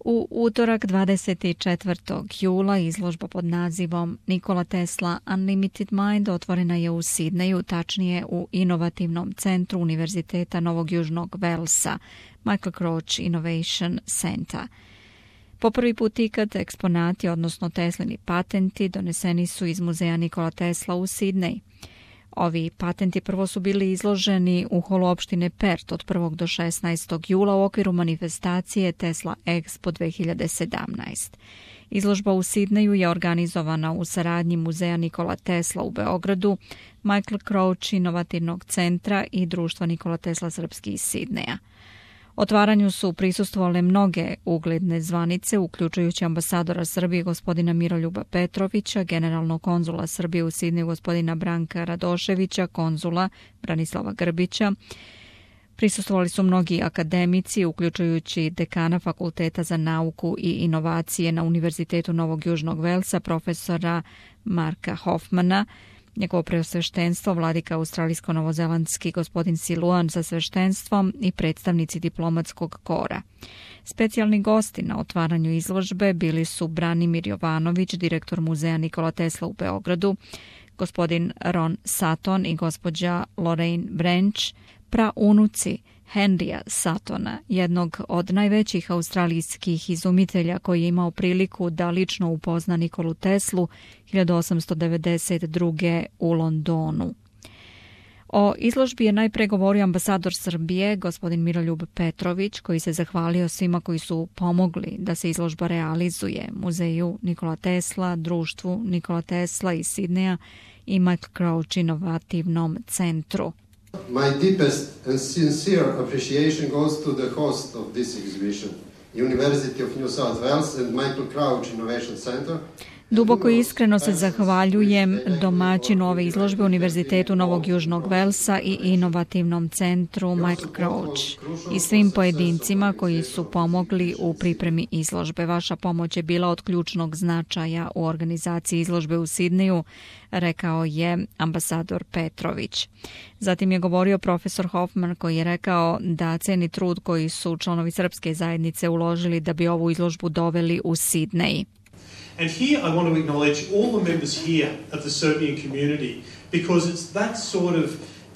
U utorak 24. jula izložba pod nazivom Nikola Tesla Unlimited Mind otvorena je u Sidneju, tačnije u inovativnom centru Univerziteta Novog Južnog Velsa, Michael Kroc Innovation Center. Po prvi put ikad eksponati, odnosno Teslini patenti, doneseni su iz muzeja Nikola Tesla u Sidnej. Ovi patenti prvo su bili izloženi u holu opštine Perth od 1. do 16. jula u okviru manifestacije Tesla Expo 2017. Izložba u Sidneju je organizovana u saradnji muzeja Nikola Tesla u Beogradu, Michael Kroc Inovativnog centra i društva Nikola Tesla Srpski iz Sidneja. Otvaranju su prisustvovale mnoge ugledne zvanice, uključujući ambasadora Srbije gospodina Miroljuba Petrovića, generalnog konzula Srbije u Sidneju gospodina Branka Radoševića, konzula Branislava Grbića. Prisustvovali su mnogi akademici, uključujući dekana Fakulteta za nauku i inovacije na Univerzitetu Novog Južnog Velsa, profesora Marka Hoffmana, njegovo preosveštenstvo, vladika australijsko-novozelandski gospodin Siluan sa sveštenstvom i predstavnici diplomatskog kora. Specijalni gosti na otvaranju izložbe bili su Branimir Jovanović, direktor muzeja Nikola Tesla u Beogradu, gospodin Ron Sutton i gospođa Lorraine Branch, praunuci Henrya Suttona, jednog od najvećih australijskih izumitelja koji je imao priliku da lično upozna Nikolu Teslu 1892. u Londonu. O izložbi je najpre govorio ambasador Srbije, gospodin Miroljub Petrović, koji se zahvalio svima koji su pomogli da se izložba realizuje, muzeju Nikola Tesla, društvu Nikola Tesla iz Sidneja i Michael Kroc Inovativnom centru. My deepest and sincere appreciation goes to the host of this exhibition, University of New South Wales and Michael Kroc Innovation Center. Duboko i iskreno se zahvaljujem domaćinu ove izložbe Univerzitetu Novog Južnog Velsa i inovativnom centru Michael Kroc i svim pojedincima koji su pomogli u pripremi izložbe. Vaša pomoć je bila od ključnog značaja u organizaciji izložbe u Sidneju, rekao je ambasador Petrović. Zatim je govorio profesor Hoffman koji je rekao da ceni trud koji su članovi srpske zajednice uložili da bi ovu izložbu doveli u Sidnej. And here I want to acknowledge all the members here of the Serbian community because it's that sort of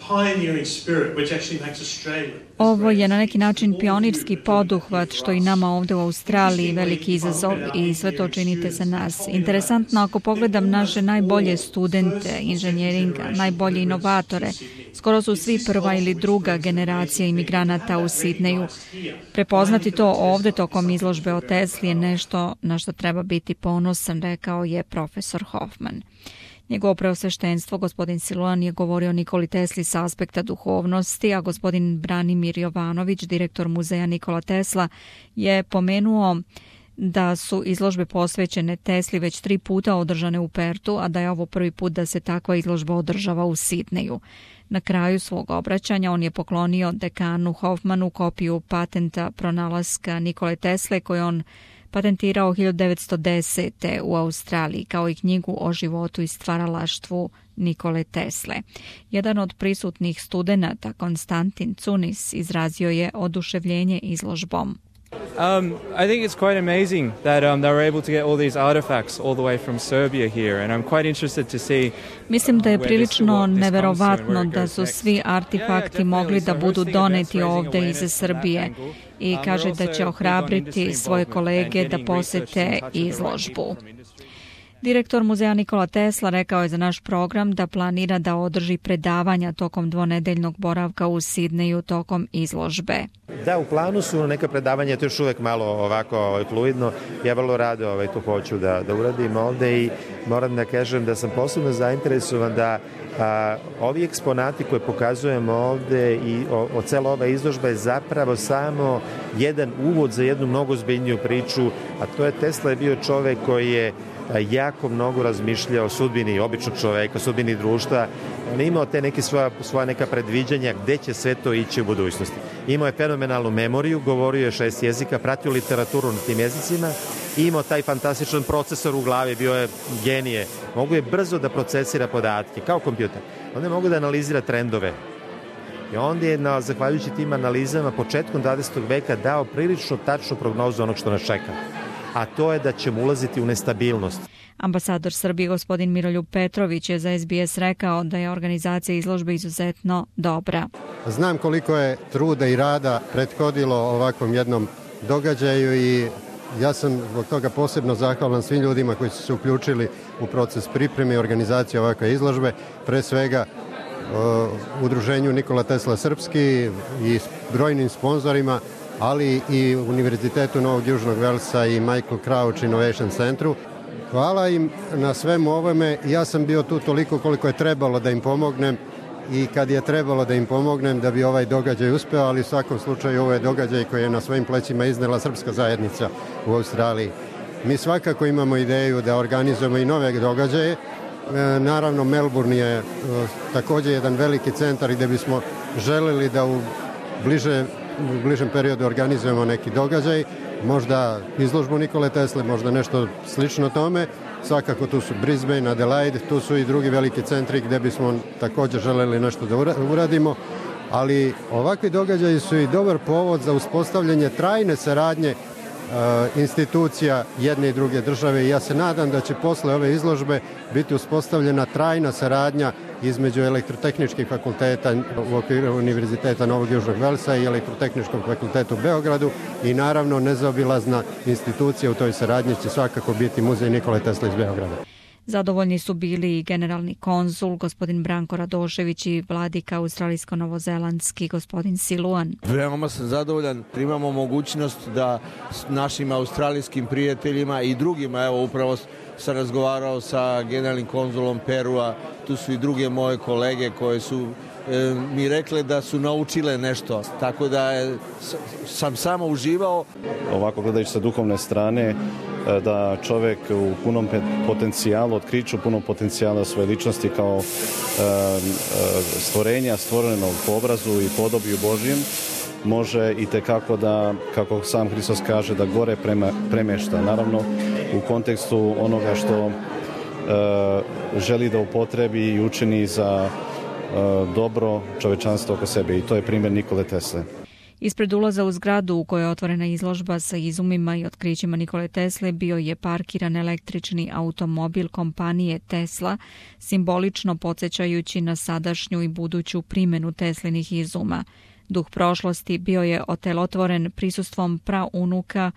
pioneering spirit which actually makes Australia. Ovo je na neki način pionirski poduhvat što i nama ovdje u Australiji veliki izazov i sve to činite za nas. Interesantno, ako pogledam naše najbolje studente inženjeringa, najbolje inovatore, skoro su svi prva ili druga generacija imigranata u Sidneju. Prepoznati to ovdje tokom izložbe o Tesli je nešto na što treba biti ponosan, rekao je profesor Hoffman. Njegovo preosveštenstvo, gospodin Siluan, je govorio o Nikoli Tesli sa aspekta duhovnosti, a gospodin Branimir Jovanović, direktor muzeja Nikola Tesla, je pomenuo da su izložbe posvećene Tesli već 3 puta održane u Pertu, a da je ovo prvi put da se takva izložba održava u Sidneju. Na kraju svog obraćanja on je poklonio dekanu Hoffmanu kopiju patenta pronalaska Nikole Tesle koju on patentirao 1910. u Australiji, kao i knjigu o životu i stvaralaštvu Nikole Tesle. Jedan od prisutnih studenata, Konstantin Cunis, izrazio je oduševljenje izložbom. I think it's quite amazing that they were able to get all these artifacts all the way from Serbia here, and I'm quite interested to see. Mislim da je prilično neverovatno da su svi artefakti mogli da budu doneti ovdje iz Srbije i kaže da će ohrabriti svoje kolege da posete izložbu. Direktor muzeja Nikola Tesla rekao je za naš program da planira da održi predavanja tokom dvonedeljnog boravka u Sidneju tokom izložbe. Da, u planu su neka predavanja, to još uvek malo ovako fluidno. Ja vrlo rado to hoću da uradim ovde i moram da kažem da sam posebno zainteresovan da ovi eksponati koje pokazujemo ovde i o cela ova izložba je zapravo samo jedan uvod za jednu mnogo ozbiljniju priču, a to je Tesla je bio čovek koji je jako mnogo razmišljao o sudbini običnog čoveka, sudbini društva. On je imao te neke svoja neka predviđanja gde će sve to ići u budućnosti. Imao je fenomenalnu memoriju, govorio je 6 jezika, pratio literaturu na tim jezicima i imao taj fantastičan procesor u glavi, bio je genije. Mogu je brzo da procesira podatke, kao kompjuter. On je mogu da analizira trendove I onda je, zahvaljujući tim analizama, početkom 20. veka dao prilično tačnu prognozu onog što nas čeka, a to je da ćemo ulaziti u nestabilnost. Ambasador Srbije gospodin Miroljub Petrović je za SBS rekao da je organizacija izložbe izuzetno dobra. Znam koliko je truda i rada prethodilo ovakvom jednom događaju i ja sam zbog toga posebno zahvalan svim ljudima koji su se uključili u proces pripreme i organizacije ovakve izložbe, pre svega Udruženju Nikola Tesla Srpski i brojnim sponzorima, ali i Univerzitetu Novog Južnog Velsa i Michael Crouch Innovation Centru. Hvala im na svemu ovome. Ja sam bio tu toliko koliko je trebalo da im pomognem i kad je trebalo da im pomognem da bi ovaj događaj uspeo, ali u svakom slučaju ovo je događaj koji je na svojim plećima iznela srpska zajednica u Australiji. Mi svakako imamo ideju da organizujemo i nove događaje. Naravno, Melbourne je također jedan veliki centar gde bismo želeli da u bližem periodu organizujemo neki događaj, možda izložbu Nikole Tesle, možda nešto slično tome. Svakako tu su Brisbane, Adelaide, tu su i drugi veliki centri gde bismo također želeli nešto da uradimo, ali ovakvi događaji su i dobar povod za uspostavljanje trajne saradnje institucija jedne i druge države i ja se nadam da će posle ove izložbe biti uspostavljena trajna saradnja između elektrotehničkih fakulteta u okviru Univerziteta Novog Južnog Velsa i Elektrotehničkog fakulteta u Beogradu i naravno nezaobilazna institucija u toj saradnji će svakako biti Muzej Nikole Tesle iz Beograda. Zadovoljni su bili i generalni konzul, gospodin Branko Radošević i vladika australijsko-novozelandski, gospodin Siluan. Veoma sam zadovoljan. Imamo mogućnost da našim australijskim prijateljima i drugima, evo upravo sam razgovarao sa generalnim konzulom Perua, tu su i druge moje kolege koje su mi rekle da su naučile nešto, tako da sam samo uživao. Ovako gledajući sa duhovne strane, da čovjek u punom potencijalu, otkriću punom potencijala svoje ličnosti kao stvorenja stvorenog po obrazu i podobiju Božjem, može i tekako da, kako sam Hristos kaže, da gore premješta. Naravno, u kontekstu onoga što želi da upotrebi i učini za dobro čovečanstvo oko sebe i to je primjer Nikole Tesle. Ispred ulaza u zgradu u kojoj je otvorena izložba sa izumima i otkrićima Nikole Tesle bio je parkiran električni automobil kompanije Tesla, simbolično podsjećajući na sadašnju i buduću primjenu Teslinih izuma. Duh prošlosti bio je otelotvoren prisustvom praunuka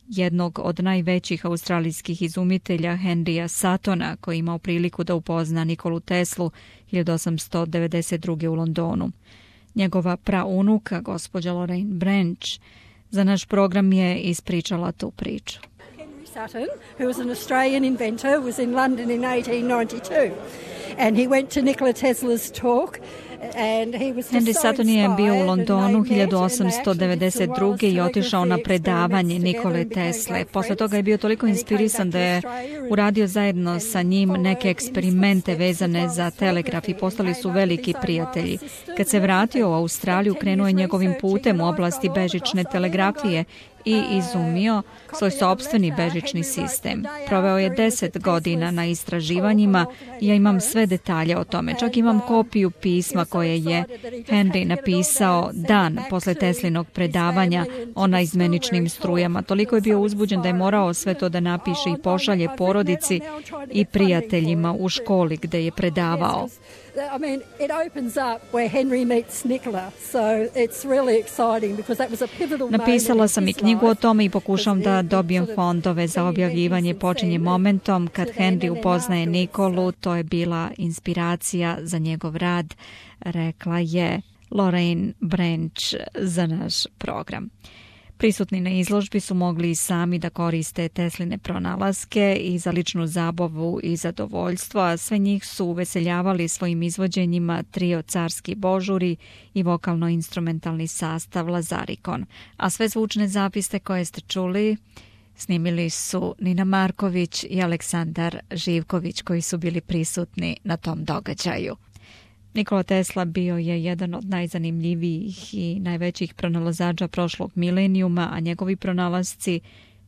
jednog od najvećih australijskih izumitelja Henrya Suttona, koji je imao priliku da upozna Nikolu Teslu 1892. u Londonu. Njegova praunuka, gospođa Lorraine Branch, za naš program je ispričala tu priču. Henry Sutton, who was an Australian inventor, was in London in 1892 and he went to Nikola Tesla's talk. Henry Sutton je bio u Londonu 1892. i otišao na predavanje Nikole Tesle. Posle toga je bio toliko inspirisan da je uradio zajedno sa njim neke eksperimente vezane za telegraf i postali su veliki prijatelji. Kad se vratio u Australiju, krenuo je njegovim putem u oblasti bežične telegrafije i izumio svoj sopstveni bežični sistem. Proveo je 10 godina na istraživanjima i ja imam sve detalje o tome. Čak imam kopiju pisma koje je Henry napisao dan posle Teslinog predavanja o naizmeničnim strujama. Toliko je bio uzbuđen da je morao sve to da napiše i pošalje porodici i prijateljima u školi gde je predavao. I mean, it opens up where Henry meets Nikola, so it's really exciting because that was a pivotal moment. Napisala sam i knjigu o tome i pokušam da dobijem fondove za objavljivanje. Počinje momentom kad Henry upoznaje Nikolu, to je bila inspiracija za njegov rad, rekla je Lorraine Branch za naš program. Prisutni na izložbi su mogli i sami da koriste Tesline pronalaske i za ličnu zabavu i zadovoljstvo, a sve njih su uveseljavali svojim izvođenjima trio Carski božuri i vokalno-instrumentalni sastav Lazarikon. A sve zvučne zapise koje ste čuli snimili su Nina Marković i Aleksandar Živković, koji su bili prisutni na tom događaju. Nikola Tesla bio je jedan od najzanimljivijih i najvećih pronalazača prošlog milenijuma, a njegovi pronalasci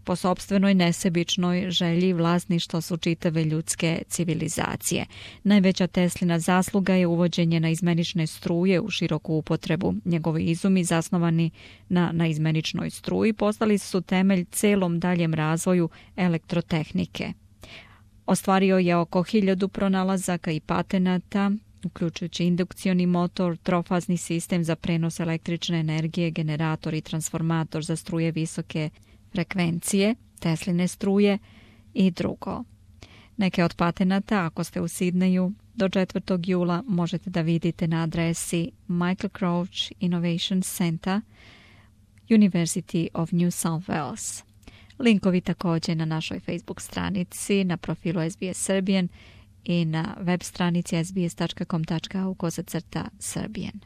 po sopstvenoj nesebičnoj želji vlasništva su čitave ljudske civilizacije. Najveća Teslina zasluga je uvođenje naizmenične struje u široku upotrebu. Njegovi izumi, zasnovani na naizmeničnoj struji, postali su temelj celom daljem razvoju elektrotehnike. Ostvario je oko 1000 pronalazaka i patenata, uključujući indukcioni motor, trofazni sistem za prenos električne energije, generator i transformator za struje visoke frekvencije, Tesline struje i drugo. Neke od patenata, ako ste u Sidneju, do 4. jula možete da vidite na adresi Michael Crouch Innovation Center, University of New South Wales. Linkovi također na našoj Facebook stranici, na profilu SBS Serbian i na web stranici sbs.com.au/Serbian.